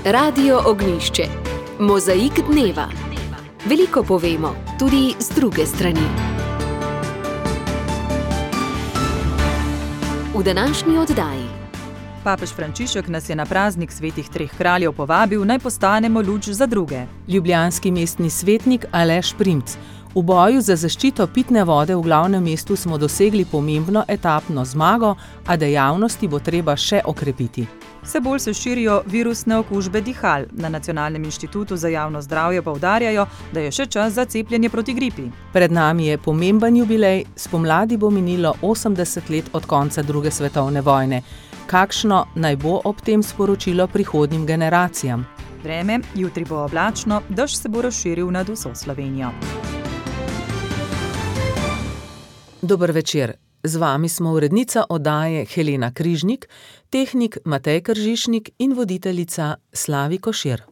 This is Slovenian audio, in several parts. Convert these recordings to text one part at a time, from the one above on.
Radio Ognjišče. Mozaik dneva. Veliko povemo, tudi z druge strani. V današnji oddaji. Papež Frančišek nas je na praznik svetih treh kraljev povabil, naj postanemo luč za druge. Ljubljanski mestni svetnik Aleš Primc. V boju za zaščito pitne vode v glavnem mestu smo dosegli pomembno etapno zmago, a dejavnosti bo treba še okrepiti. Vse bolj se širijo virusne okužbe dihal. Na Nacionalnem inštitutu za javno zdravje poudarjajo, da je še čas za cepljenje proti gripi. Pred nami je pomemben jubilej, spomladi bo minilo 80 let od konca druge svetovne vojne. Kakšno naj bo ob tem sporočilo prihodnjim generacijam? Vreme, jutri bo oblačno, dež se bo razširil nad vso Slovenijo. Dober večer. Z vami smo urednica oddaje Helena Križnik, tehnik Matej Kržišnik in voditeljica Slavi Košir.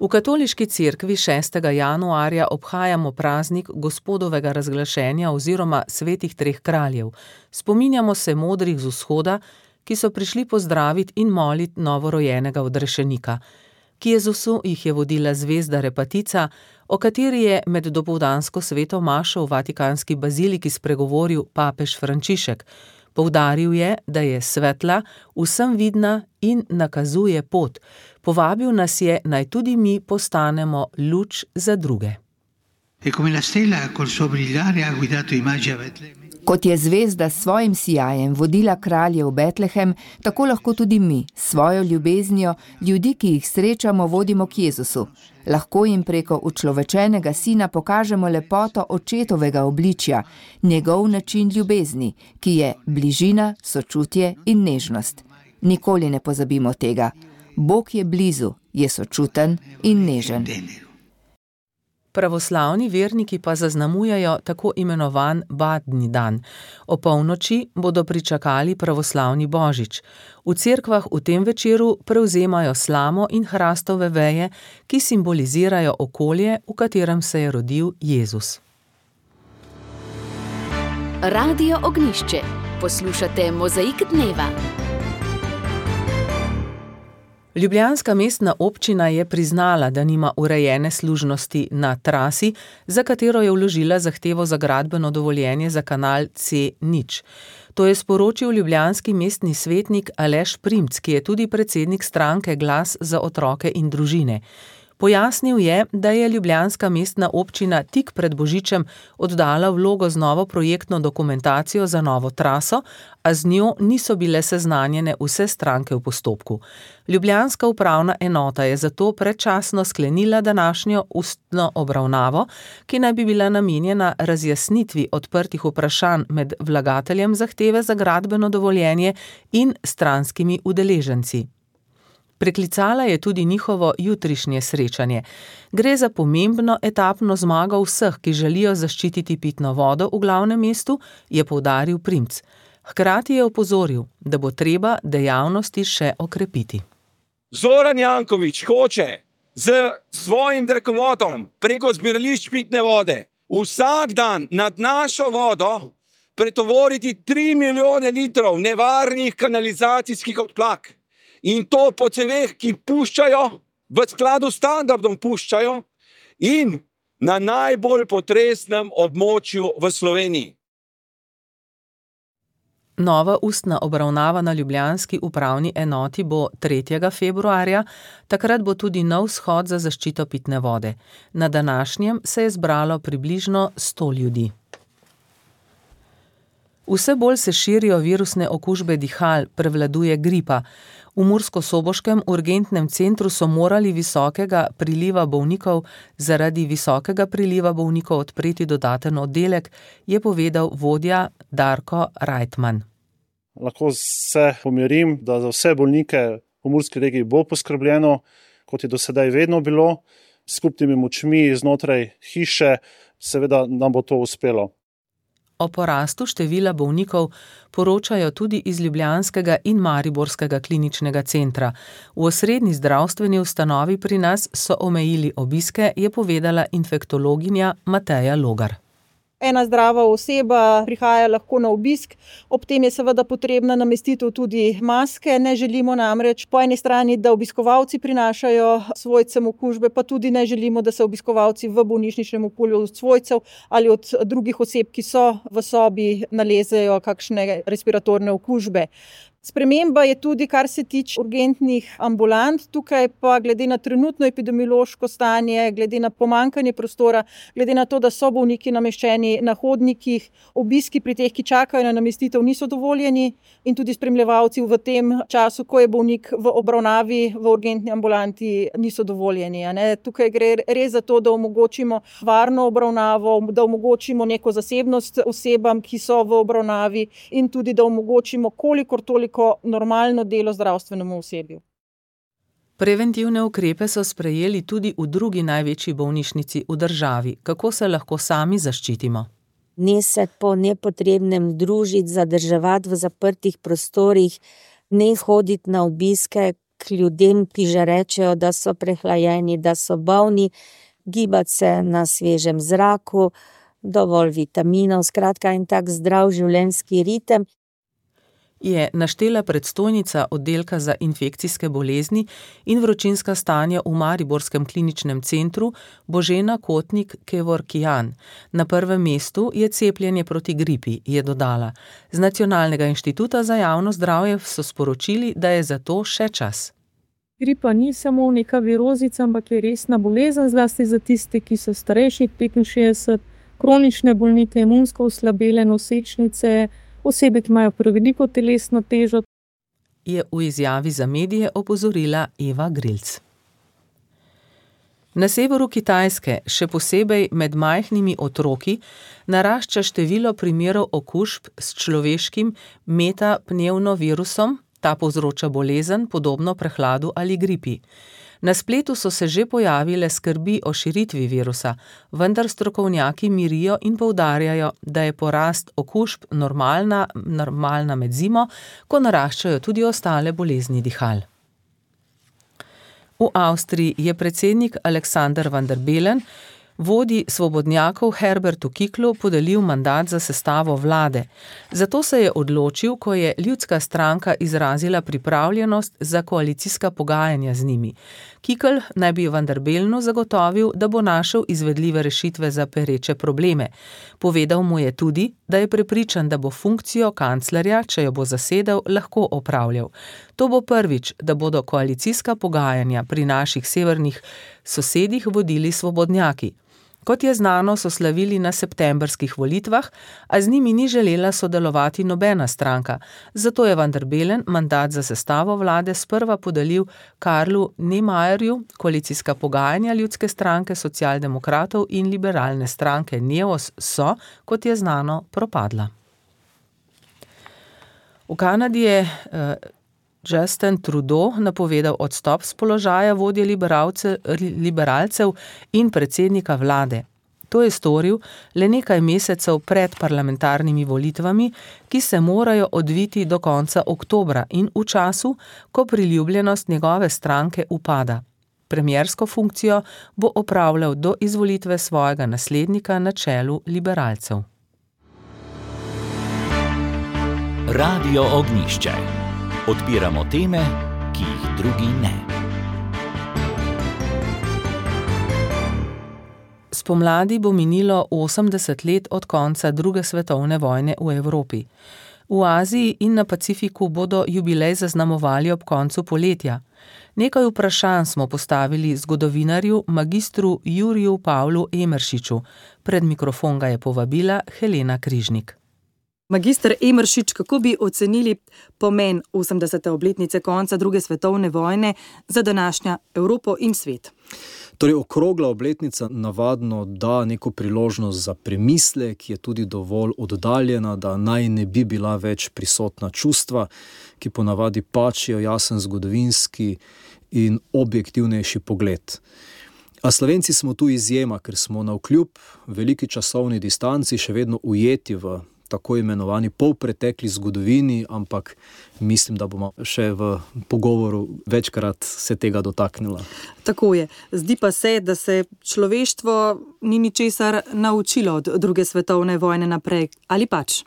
V katoliški cerkvi 6. januarja obhajamo praznik Gospodovega razglašenja oziroma svetih treh kraljev. Spominjamo se modrih z vzhoda, ki so prišli pozdraviti in moliti novorojenega odrešenika. K Jezusu jih je vodila zvezda Repatica, o kateri je med dopoldansko sveto mašo v Vatikanski baziliki spregovoril papež Frančišek. Poudaril je, da je svetla, vsem vidna in nakazuje pot. Povabil nas je, naj tudi mi postanemo luč za druge. Kot je zvezda s svojim sijajem vodila kralje v Betlehem, tako lahko tudi mi, s svojo ljubeznijo, ljudi, ki jih srečamo, vodimo k Jezusu. Lahko jim preko učlovečenega sina pokažemo lepoto očetovega obličja, njegov način ljubezni, ki je bližina, sočutje in nežnost. Nikoli ne pozabimo tega. Bog je blizu, je sočuten in nežen. Pravoslavni verniki pa zaznamujejo tako imenovan Badni dan. O polnoči bodo pričakali pravoslavni božič. V cerkvah v tem večeru prevzemajo slamo in hrastove veje, ki simbolizirajo okolje, v katerem se je rodil Jezus. Radio Ognjišče. Poslušate Mozaik dneva. Ljubljanska mestna občina je priznala, da nima urejene služnosti na trasi, za katero je vložila zahtevo za gradbeno dovoljenje za kanal C0. To je sporočil ljubljanski mestni svetnik Aleš Primc, ki je tudi predsednik stranke Glas za otroke in družine. Pojasnil je, da je ljubljanska mestna občina tik pred božičem oddala vlogo z novo projektno dokumentacijo za novo traso, a z njo niso bile seznanjene vse stranke v postopku. Ljubljanska upravna enota je zato predčasno sklenila današnjo ustno obravnavo, ki naj bi bila namenjena razjasnitvi odprtih vprašanj med vlagateljem zahteve za gradbeno dovoljenje in stranskimi udeleženci. Preklicala je tudi njihovo jutrišnje srečanje. Gre za pomembno etapno zmago vseh, ki želijo zaščititi pitno vodo v glavnem mestu, je poudaril Primc. Hkrati je opozoril, da bo treba dejavnosti še okrepiti. Zoran Janković hoče z svojim drekovodom preko zbirališč pitne vode vsak dan nad našo vodo pretovoriti 3 milijone litrov nevarnih kanalizacijskih odplak. In to po ceveh, ki puščajo, v skladu s standardom puščajo in na najbolj potresnem območju v Sloveniji. Nova ustna obravnava na ljubljanski upravni enoti bo 3. februarja, takrat bo tudi nov shod za zaščito pitne vode. Na današnjem se je zbralo približno 100 ljudi. Vse bolj se širijo virusne okužbe dihal, prevladuje gripa. V murskosoboškem urgentnem centru so morali zaradi visokega priliva bolnikov odpreti dodaten oddelek, je povedal vodja Darko Rajtman. Lahko se pomirim, da za vse bolnike v Murski regiji bo poskrbljeno, kot je do sedaj vedno bilo, s skupnimi močmi znotraj hiše, seveda nam bo to uspelo. O porastu števila bolnikov poročajo tudi iz ljubljanskega in mariborskega kliničnega centra. V osrednji zdravstveni ustanovi pri nas so omejili obiske, je povedala infektologinja Mateja Logar. Ena zdrava oseba prihaja lahko na obisk, ob tem je seveda potrebna namestitev tudi maske. Ne želimo namreč po eni strani, da obiskovalci prinašajo svojcem okužbe, pa tudi ne želimo, da se obiskovalci v bolnišničnem okolju od svojcev ali od drugih oseb, ki so v sobi, nalezejo kakšne respiratorne okužbe. Sprememba je tudi, kar se tiče urgentnih ambulant. Tukaj pa glede na trenutno epidemiološko stanje, glede na pomanjkanje prostora, glede na to, da so bolniki nameščeni na hodnikih, obiski pri teh, ki čakajo na namestitev, niso dovoljeni in tudi spremljevalci v tem času, ko je bolnik v obravnavi v urgentni ambulanti, niso dovoljeni. Tukaj gre res za to, da omogočimo varno obravnavo, da omogočimo neko zasebnost osebam, ki so v obravnavi in tudi, da omogočimo kolikor toliko normalno delo zdravstvenemu osebju. Preventivne ukrepe so sprejeli tudi v drugi največji bolnišnici v državi. Kako se lahko sami zaščitimo? Ne se po nepotrebnem družiti, zadrževati v zaprtih prostorih, ne hoditi na obiske k ljudem, ki že rečejo, da so prehlajeni, da so bolni, gibati se na svežem zraku, dovolj vitaminov, skratka en tak zdrav življenjski ritem. Je naštela predstojnica oddelka za infekcijske bolezni in vročinska stanja v Mariborskem kliničnem centru Božena Kotnik-Kevorkian. Na prvem mestu je cepljenje proti gripi, je dodala. Z Nacionalnega inštituta za javno zdravje so sporočili, da je za to še čas. Gripa ni samo neka virozica, ampak je resna bolezen, zlasti za tiste, ki so starejši 65, kronične bolnike, imunsko oslabele nosečnice, osebe, ki imajo preveliko telesno težo. Je v izjavi za medije opozorila Eva Grilc. Na severu Kitajske, še posebej med majhnimi otroki, narašča število primerov okužb s človeškim metapnevmovirusom. Ta povzroča bolezen, podobno prehladu ali gripi. Na spletu so se že pojavile skrbi o širitvi virusa, vendar strokovnjaki mirijo in poudarjajo, da je porast okužb normalna med zimo, ko naraščajo tudi ostale bolezni dihal. V Avstriji je predsednik Alexander Van der Bellen vodji svobodnjakov Herbertu Kicklu podelil mandat za sestavo vlade. Zato se je odločil, ko je Ljudska stranka izrazila pripravljenost za koalicijska pogajanja z njimi. Kickl naj bi Van der Bellenu zagotovil, da bo našel izvedljive rešitve za pereče probleme. Povedal mu je tudi, da je prepričan, da bo funkcijo kanclerja, če jo bo zasedel, lahko opravljal. To bo prvič, da bodo koalicijska pogajanja pri naših severnih sosedih vodili svobodnjaki. Kot je znano, so slavili na septembrskih volitvah, a z njimi ni želela sodelovati nobena stranka. Zato je Van der Bellen mandat za sestavo vlade sprva podelil Karlu Neymarju, koalicijska pogajanja Ljudske stranke, socialdemokratov in liberalne stranke Neos so, kot je znano, propadla. V Kanadi je Justin Trudeau napovedal odstop s položaja vodje liberalcev in predsednika vlade. To je storil le nekaj mesecev pred parlamentarnimi volitvami, ki se morajo odviti do konca oktobra in v času, ko priljubljenost njegove stranke upada. Premiersko funkcijo bo opravljal do izvolitve svojega naslednika na čelu liberalcev. Radio Ognjišče. Odpiramo teme, ki jih drugi ne. Spomladi bo minilo 80 let od konca druge svetovne vojne v Evropi. V Aziji in na Pacifiku bodo jubilej zaznamovali ob koncu poletja. Nekaj vprašanj smo postavili zgodovinarju magistru Juriju Pavlu Emeršiču. Pred mikrofon ga je povabila Helena Križnik. Magister Emeršič, kako bi ocenili pomen 80. obletnice konca druge svetovne vojne za današnjo Evropo in svet? Torej, okrogla obletnica navadno da neko priložnost za premislek, je tudi dovolj oddaljena, da naj ne bi bila več prisotna čustva, ki ponavadi pačijo jasen zgodovinski in objektivnejši pogled. A Slovenci smo tu izjema, ker smo navkljub veliki časovni distanci še vedno ujeti v tako imenovani polpretekli zgodovini, ampak mislim, da bomo še v pogovoru večkrat se tega dotaknila. Tako je. Zdi pa se, da se človeštvo ni ničesar naučilo od druge svetovne vojne naprej. Ali pač?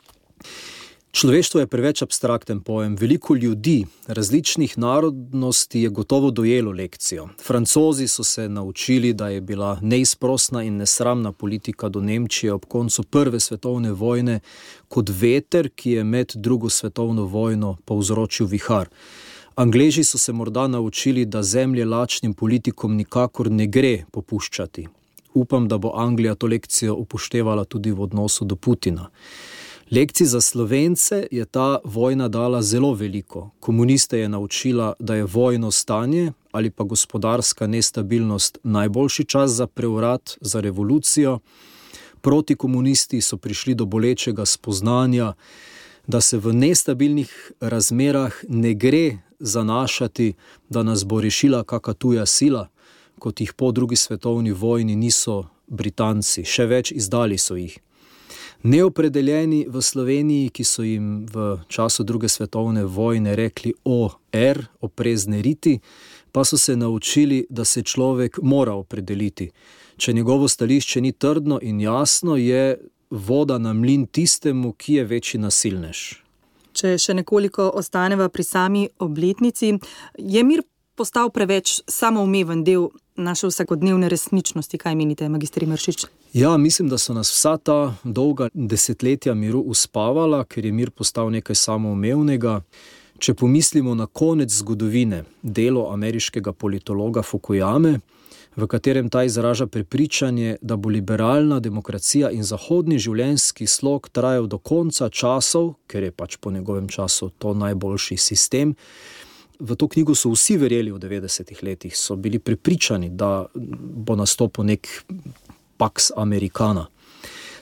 Človeštvo je preveč abstrakten pojem. Veliko ljudi različnih narodnosti je gotovo dojelo lekcijo. Francozi so se naučili, da je bila neizprosna in nesramna politika do Nemčije ob koncu Prve svetovne vojne kot veter, ki je med Drugo svetovno vojno povzročil vihar. Angleži so se morda naučili, da zemlje lačnim politikom nikakor ne gre popuščati. Upam, da bo Anglija to lekcijo upoštevala tudi v odnosu do Putina. Lekcij za Slovence je ta vojna dala zelo veliko. Komuniste je naučila, da je vojno stanje ali pa gospodarska nestabilnost najboljši čas za prevrat, za revolucijo. Protikomunisti so prišli do bolečega spoznanja, da se v nestabilnih razmerah ne gre zanašati, da nas bo rešila kaka tuja sila, kot jih po drugi svetovni vojni niso Britanci, še več izdali so jih. Neopredeljeni v Sloveniji, ki so jim v času druge svetovne vojne rekli OR, oprezne riti, pa so se naučili, da se človek mora opredeliti. Če njegovo stališče ni trdno in jasno, je voda na mlin tistemu, ki je večji nasilnež. Če še nekoliko ostaneva pri sami obletnici, je mir postal preveč samoumeven del naše vsakodnevne resničnosti. Kaj menite, magister Imeršič? Ja, mislim, da so nas vsa ta dolga desetletja miru uspavala, ker je mir postal nekaj samoumevnega. Če pomislimo na konec zgodovine, delo ameriškega politologa Fukuyame, v katerem ta izraža prepričanje, da bo liberalna demokracija in zahodni življenjski slog trajal do konca časov, ker je pač po njegovem času to najboljši sistem. V to knjigo so vsi verjeli v 90-ih letih, so bili prepričani, da bo nastopil nek Pax Americana.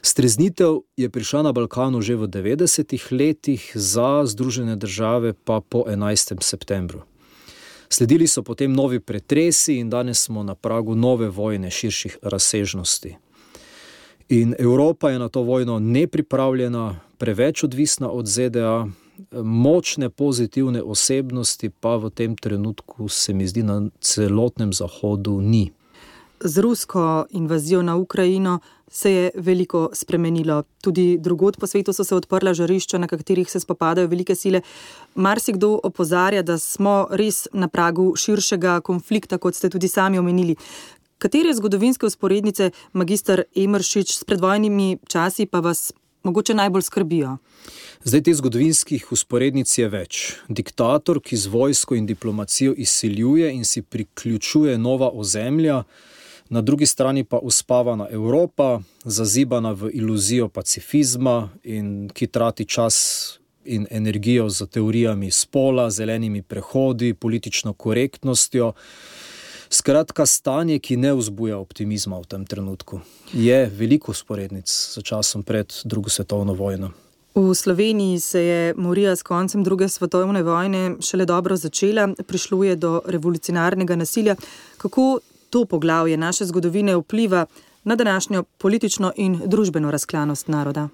Streznitev je prišla na Balkanu že v 90-ih letih, za Združene države pa po 11. septembru. Sledili so potem novi pretresi in danes smo na pragu nove vojne širših razsežnosti. In Evropa je na to vojno nepripravljena, preveč odvisna od ZDA, močne pozitivne osebnosti pa v tem trenutku se mi zdi na celotnem Zahodu ni. Z rusko invazijo na Ukrajino se je veliko spremenilo. Tudi drugod po svetu so se odprla žarišča, na katerih se spopadajo velike sile. Marsikdo opozarja, da smo res na pragu širšega konflikta, kot ste tudi sami omenili. Katere zgodovinske vzporednice, magister Emeršič, s predvojnimi časi pa vas mogoče najbolj skrbijo? Zdaj, teh zgodovinskih vzporednic je več. Diktator, ki z vojsko in diplomacijo izsiljuje in si priključuje nova ozemlja, na drugi strani pa uspavana Evropa, zazibana v iluzijo pacifizma in ki trati čas in energijo za teorijami spola, zelenimi prehodi, politično korektnostjo. Skratka, stanje, ki ne vzbuja optimizma v tem trenutku. Je veliko vzporednic za časom pred drugo svetovno vojno. V Sloveniji se je morija s koncem druge svetovne vojne šele dobro začela, prišlo je do revolucionarnega nasilja. Kako to poglavje naše zgodovine vpliva na današnjo politično in družbeno razklanost naroda?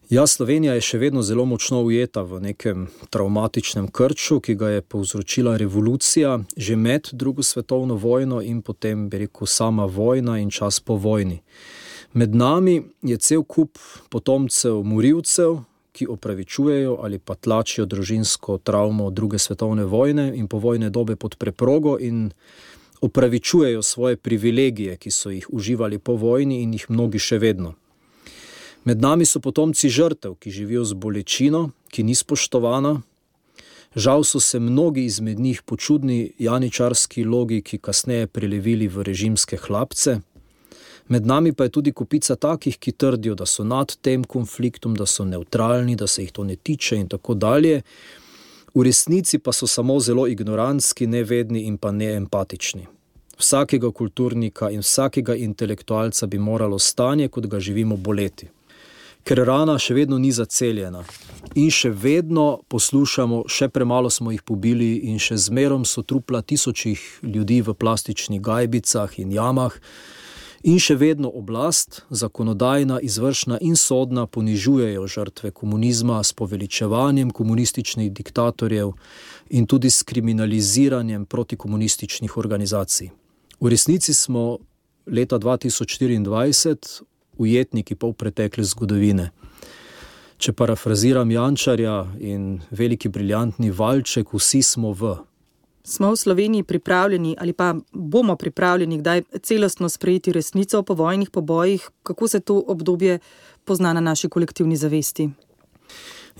Ja, Slovenija je še vedno zelo močno ujeta v nekem travmatičnem krču, ki ga je povzročila revolucija že med drugo svetovno vojno in potem, bi rekel, sama vojna in čas po vojni. Med nami je cel kup potomcev morilcev, ki opravičujejo ali pa tlačijo družinsko travmo druge svetovne vojne in povojne dobe pod preprogo in opravičujejo svoje privilegije, ki so jih uživali po vojni in jih mnogi še vedno. Med nami so potomci žrtev, ki živijo z bolečino, ki ni spoštovana. Žal so se mnogi izmed njih po čudni janičarski logiki kasneje prelevili v režimske hlapce. Med nami pa je tudi kupica takih, ki trdijo, da so nad tem konfliktom, da so nevtralni, da se jih to ne tiče in tako dalje. V resnici pa so samo zelo ignorantski, nevedni in pa neempatični. Vsakega kulturnika in vsakega intelektualca bi moralo stanje, kot ga živimo, boleti. Ker rana še vedno ni zaceljena in še vedno poslušamo, še premalo smo jih pobili in še zmerom so trupla tisočih ljudi v plastičnih gajbicah in jamah In še vedno oblast, zakonodajna, izvršna in sodna ponižujejo žrtve komunizma s poveličevanjem komunističnih diktatorjev in tudi s kriminaliziranjem protikomunističnih organizacij. V resnici smo leta 2024 ujetniki polpretekle zgodovine. Če parafraziram Jančarja in veliki briljantni valček, vsi smo v. Smo v Sloveniji pripravljeni ali pa bomo pripravljeni kdaj celostno sprejeti resnico o povojnih pobojih? Kako se to obdobje pozna na naši kolektivni zavesti?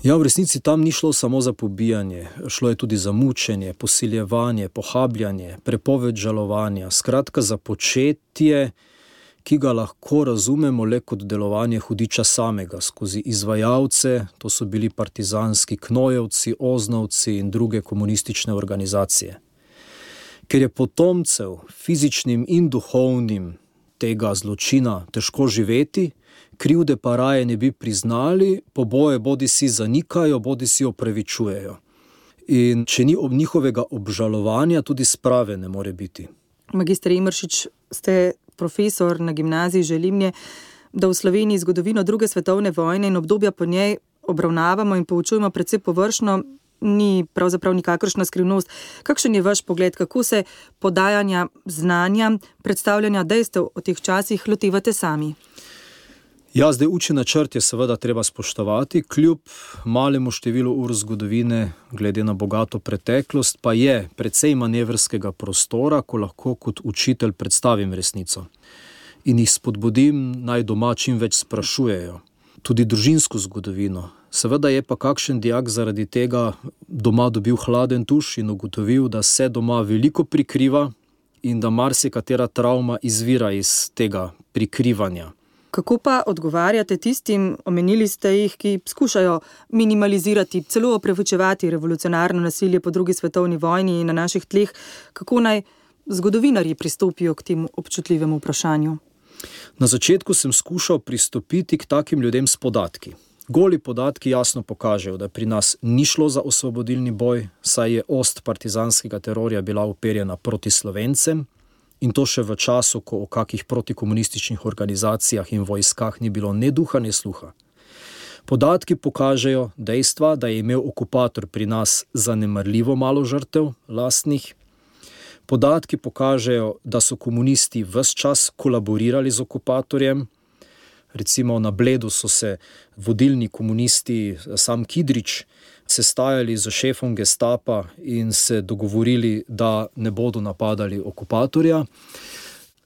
Ja, v resnici tam ni šlo samo za pobijanje, šlo je tudi za mučenje, posiljevanje, pohabljanje, prepoved žalovanja, skratka za početje, ki ga lahko razumemo le kot delovanje hudiča samega, skozi izvajalce, to so bili partizanski knojevci, oznovci in druge komunistične organizacije. Ker je potomcev, fizičnim in duhovnim, tega zločina težko živeti, krivde pa raje ne bi priznali, poboje bodisi zanikajo, bodisi opravičujejo. In če ni njihovega obžalovanja, tudi sprave ne more biti. Magister Emeršič, ste profesor na gimnaziji Želimnje, da v Sloveniji zgodovino druge svetovne vojne in obdobja po njej obravnavamo in poučujemo precej površno, ni pravzaprav nikakršna skrivnost. Kakšen je vaš pogled, kako se podajanja znanja, predstavljanja dejstev o teh časih lotevate sami? Ja, zdaj učni načrt je seveda treba spoštovati, kljub malemu številu ur zgodovine, glede na bogato preteklost, pa je precej manevrskega prostora, ko lahko kot učitelj predstavim resnico. In jih spodbudim, naj doma čim več sprašujejo. Tudi družinsko zgodovino. Seveda je pa kakšen dijak zaradi tega doma dobil hladen tuš in ugotovil, da se doma veliko prikriva in da marsikatera travma izvira iz tega prikrivanja. Kako pa odgovarjate tistim, omenili ste jih, ki skušajo minimalizirati, celo opravičevati revolucionarno nasilje po drugi svetovni vojni na naših tleh? Kako naj zgodovinarji pristopijo k temu občutljivemu vprašanju? Na začetku sem skušal pristopiti k takim ljudem s podatki. Goli podatki jasno pokažejo, da pri nas ni šlo za osvobodilni boj, saj je ost partizanskega terorja bila uperjena proti Slovencem, in to še v času, ko o kakih protikomunističnih organizacijah in vojskah ni bilo ne duha, ne sluha. Podatki pokažejo dejstva, da je imel okupator pri nas zanemarljivo malo žrtev lastnih. Podatki pokažejo, da so komunisti ves čas kolaborirali z okupatorjem. Recimo na Bledu so se vodilni komunisti, sam Kidrič, sestajali z šefom gestapa in se dogovorili, da ne bodo napadali okupatorja.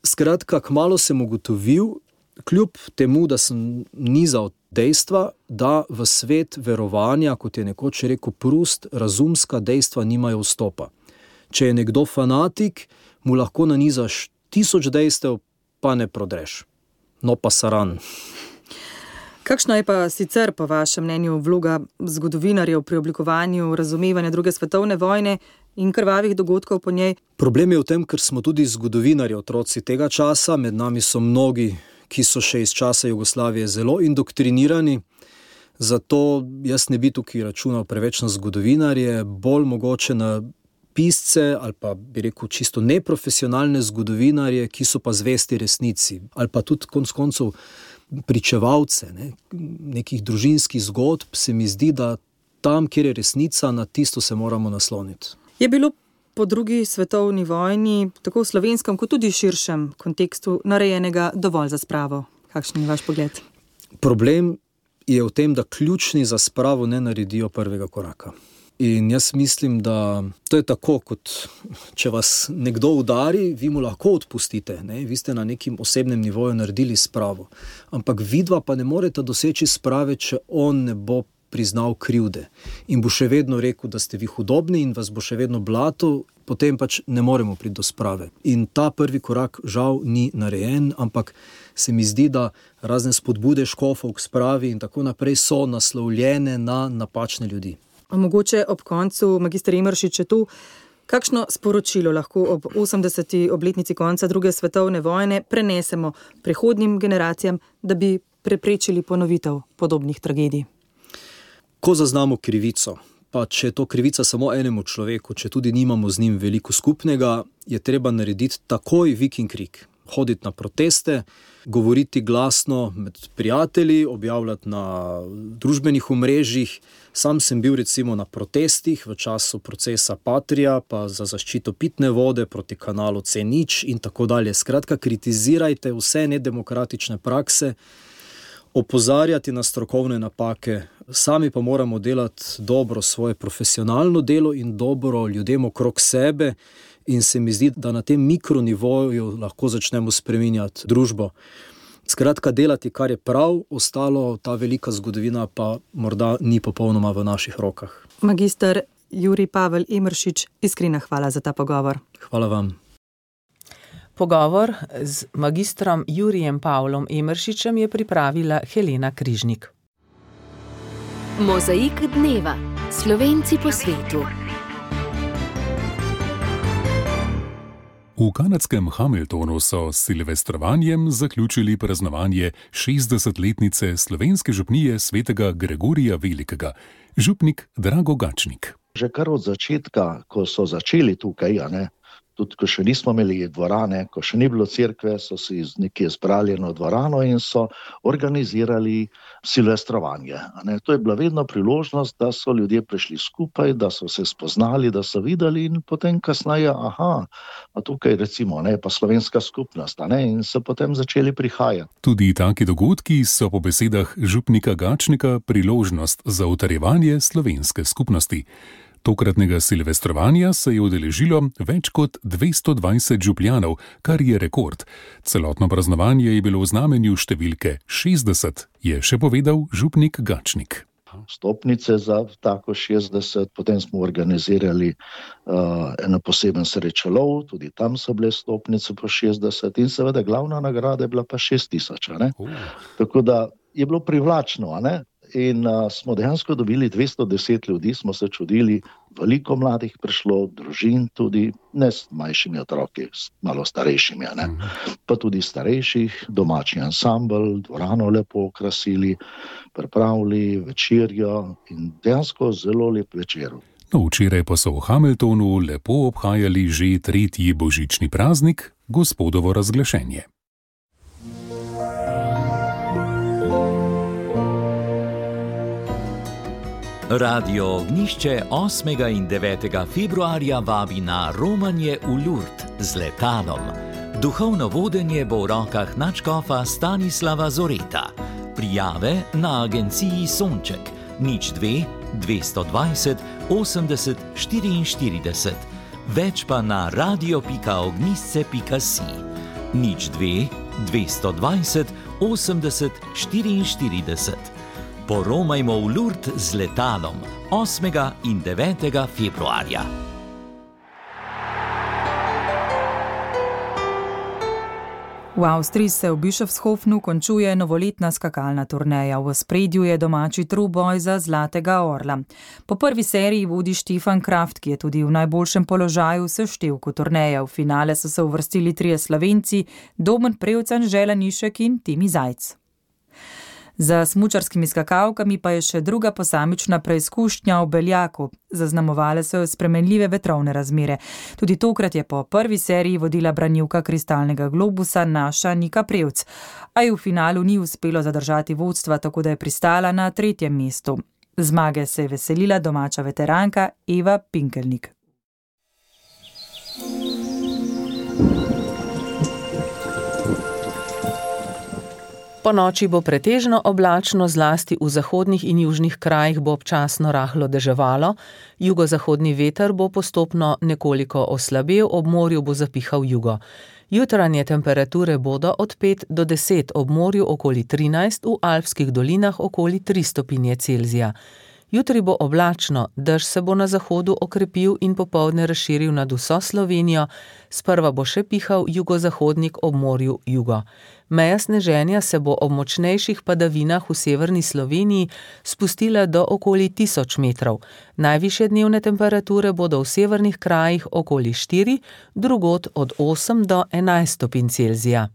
Skratka, kmalu sem ugotovil, kljub temu, da sem nizal dejstva, da v svet verovanja, kot je nekoč rekel Proust, razumska dejstva nimajo vstopa. Če je nekdo fanatik, mu lahko nanizaš 1000 dejstev, pa ne prodreš. No pa saran. Kakšna je pa sicer po vašem mnenju vloga zgodovinarjev pri oblikovanju razumevanja druge svetovne vojne in krvavih dogodkov po njej? Problem je v tem, ker smo tudi zgodovinarji otroci tega časa, med nami so mnogi, ki so še iz časa Jugoslavije zelo indoktrinirani, zato jaz ne bi tukaj računal preveč na zgodovinarje, bolj mogoče na pisce ali pa bi rekel čisto neprofesionalne zgodovinarje, ki so pa zvesti resnici, ali pa tudi konec koncev pričevalce, nekih družinskih zgodb, se mi zdi, da tam, kjer je resnica, na tisto se moramo nasloniti. Je bilo po drugi svetovni vojni, tako v slovenskem kot tudi širšem kontekstu, narejenega dovolj za spravo? Kakšen je vaš pogled? Problem je v tem, da ključni za spravo ne naredijo prvega koraka. In jaz mislim, da to je tako, kot če vas nekdo udari, vi mu lahko odpustite, vi ste na nekim osebnem nivoju naredili spravo. Ampak vidva pa ne morete doseči sprave, če on ne bo priznal krivde. In bo še vedno rekel, da ste vi hudobni in vas bo še vedno blatil, potem pač ne moremo priti do sprave. In ta prvi korak žal ni narejen, ampak se mi zdi, da razne spodbude škofov k spravi in tako naprej so naslovljene na napačne ljudi. Mogoče ob koncu, magister Emeršič, je tu, kakšno sporočilo lahko ob 80. obletnici konca druge svetovne vojne prenesemo prihodnjim generacijam, da bi preprečili ponovitev podobnih tragedij? Ko zaznamo krivico, pa če je to krivica samo enemu človeku, če tudi nimamo z njim veliko skupnega, je treba narediti takoj vik in krik. hoditi na proteste, govoriti glasno med prijatelji, objavljati na družbenih omrežjih. Sam sem bil recimo na protestih v času procesa Patria, pa za zaščito pitne vode proti kanalu C0 in tako dalje. Skratka, kritizirajte vse nedemokratične prakse, opozarjati na strokovne napake, sami pa moramo delati dobro svoje profesionalno delo in dobro ljudem okrog sebe in se mi zdi, da na tem mikronivoju lahko začnemo spreminjati družbo. Skratka, delati, kar je prav, ostalo, ta velika zgodovina pa morda ni popolnoma v naših rokah. Magister Jurij Pavel Emeršič, iskrena hvala za ta pogovor. Hvala vam. Pogovor z magistrom Jurijem Pavlom Emeršičem je pripravila Helena Križnik. Mozaik dneva. Slovenci po svetu. V kanadskem Hamiltonu so s silvestrovanjem zaključili praznovanje 60-letnice slovenske župnije svetega Gregorija Velikega. Župnik Drago Gačnik. Že kar od začetka, ko so začeli tukaj, tudi ko še nismo imeli dvorane, ko še ni bilo cerkve, so si nekje zbrali eno dvorano in so organizirali silvestrovanje. To je bila vedno priložnost, da so ljudje prišli skupaj, da so se spoznali, da so videli in potem kasneje, a tukaj recimo pa slovenska skupnost, in so potem začeli prihajati. Tudi taki dogodki so po besedah župnika Gačnika priložnost za utrjevanje slovenske skupnosti. Tokratnega silvestrovanja se je udeležilo več kot 220 župljanov, kar je rekord. Celotno praznovanje je bilo v znamenju številke 60, je še povedal župnik Gačnik. Stopnice za tako 60, potem smo organizirali eno poseben srečelov, tudi tam so bile stopnice po 60 in seveda glavna nagrada je bila pa 6000. Tako da je bilo privlačno, in smo dejansko dobili 210 ljudi, smo se čudili, veliko mladih prišlo, družin tudi, ne s manjšimi otroki, malo starejšimi, pa tudi starejših, domači ansambl, dvorano lepo okrasili, pripravili večerjo in dejansko zelo lep večer. Včeraj pa so v Hamiltonu lepo obhajali že 3. božični praznik, Gospodovo razglašenje. Radio Ognjišče 8. in 9. februarja vabi na romanje v Lurd z letalom. Duhovno vodenje bo v rokah nadškofa Stanislava Zoreta. Prijave na agenciji Sonček 02 220 80 44. Več pa na radio.ognjisce.si 02 220 80 44. Poromajmo v Lurd z letalom 8. in 9. februarja. V Avstriji se v Bischofshofenu končuje novoletna skakalna turneja. V ospredju je domači troboj za Zlatega orla. Po prvi seriji vodi Štefan Kraft, ki je tudi v najboljšem položaju v seštevku turneje. V finale so se uvrstili 3 Slovenci, Domen Prevcan, Žela Nišek in Timi Zajc. Za smučarskimi skakalkami pa je še druga posamična preizkušnja v Beljaku. Zaznamovale so jo spremenljive vetrovne razmere. Tudi tokrat je po prvi seriji vodila branilka kristalnega globusa naša Nika Prevc, a ji v finalu ni uspelo zadržati vodstva, tako da je pristala na 3. mestu. Zmage se je veselila domača veteranka Eva Pinkelnik. Po noči bo pretežno oblačno, zlasti v zahodnih in južnih krajih bo občasno rahlo deževalo, jugozahodni veter bo postopno nekoliko oslabel, ob morju bo zapihal jugo. Jutranje temperature bodo od 5 do 10, ob morju okoli 13, v alpskih dolinah okoli 3 stopinje Celzija. Jutri bo oblačno, dež se bo na zahodu okrepil in popoldne razširil nad vso Slovenijo, sprva bo še pihal jugozahodnik, ob morju jugo. Meja sneženja se bo ob močnejših padavinah v severni Sloveniji spustila do okoli 1000 metrov. Najvišje dnevne temperature bodo v severnih krajih okoli 4, drugod od 8 do 11 stopinj Celzija.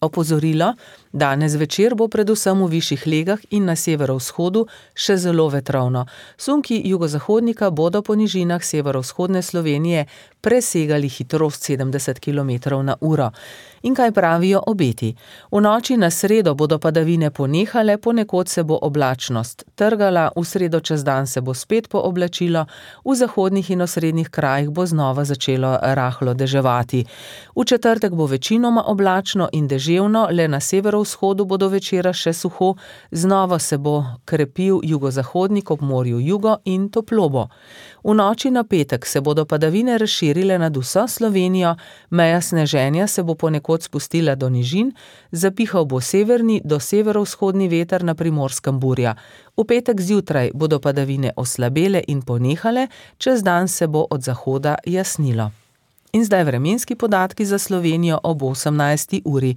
Opozorilo, danes večer bo predvsem v višjih legah in na severovzhodu še zelo vetrovno. Sunki jugozahodnika bodo po nižinah severovzhodne Slovenije presegali hitrost 70 km/h. In kaj pravijo obeti? V noči na sredo bodo padavine ponehale, ponekod se bo oblačnost trgala, v sredo čez dan se bo spet pooblačilo, v zahodnih in osrednjih krajih bo znova začelo rahlo deževati. V četrtek bo večinoma oblačno in deževno, le na severovzhodu bo do večera še suho, znova se bo krepil jugozahodnik ob morju jugo in toplo bo. V noči na petek se bodo padavine razširile nad vso Slovenijo, meja sneženja se bo ponekod spustila do nižin, zapihal bo severni do severovzhodni veter, na Primorskem burja. V petek zjutraj bodo padavine oslabele in ponehale, čez dan se bo od zahoda jasnilo. In zdaj vremenski podatki za Slovenijo ob 18. uri.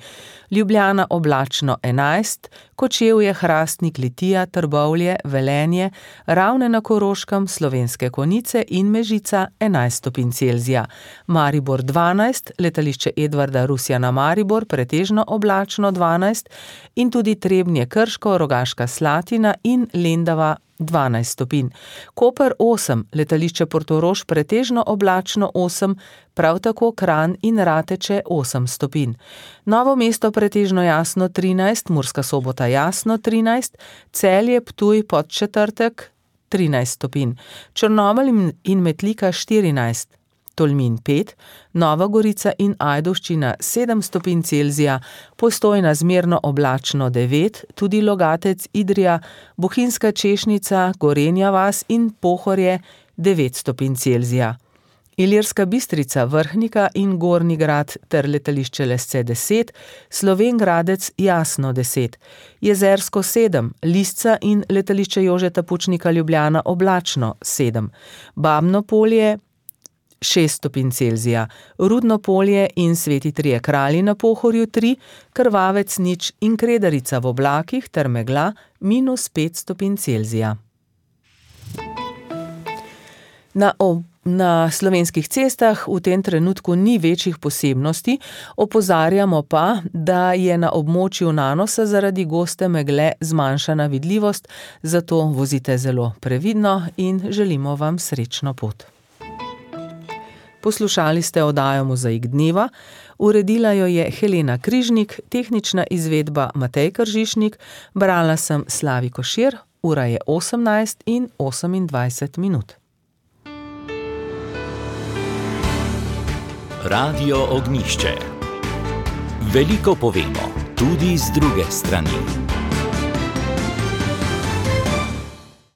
Ljubljana oblačno 11, Kočevje, Hrastnik, Litija, Trbovlje, Velenje, Ravne na Koroškem, Slovenske Konjice in Mežica 11 stopinj Celzija. Maribor 12, letališče Edvarda Rusjana Maribor pretežno oblačno 12 in tudi Trebnje, Krško, Rogaška Slatina in Lendava 12 stopinj. Koper 8, letališče Portorož pretežno oblačno 8, prav tako Kranj in Rateče 8 stopinj. Novo mesto pretežno jasno 13, Murska Sobota jasno 13, Celje, Ptuj, Podčetrtek 13 stopinj, Črnomelj in Metlika 14, Tolmin 5, Nova Gorica in Ajdovščina 7 stopinj Celzija, Postojna zmerno oblačno 9, tudi Logatec, Idrija, Bohinjska Češnica, Gorenja vas in Pohorje 9 stopinj Celzija. Ilirska Bistrica, Vrhnika in Gornji Grad ter letališče Lesce 10, Slovenj Gradec jasno 10, Jezersko 7, Lisca in letališče Jožeta Pučnika Ljubljana oblačno 7, Babno Polje 6 stopinj Celzija, Rudno Polje in Sveti Trije Kralji na Pohorju 3, Krvavec 0 in Kredarica v oblakih ter megla -5 stopinj Celzija. Na slovenskih cestah v tem trenutku ni večjih posebnosti, opozarjamo pa, da je na območju Nanosa zaradi goste megle zmanjšana vidljivost, zato vozite zelo previdno in želimo vam srečno pot. Poslušali ste oddajo Mozaik dneva, uredila jo je Helena Križnik, tehnična izvedba Matej Kržišnik, brala sem Slavi Košir, ura je 18:28. Radio Ognjišče. Veliko povemo, tudi z druge strani.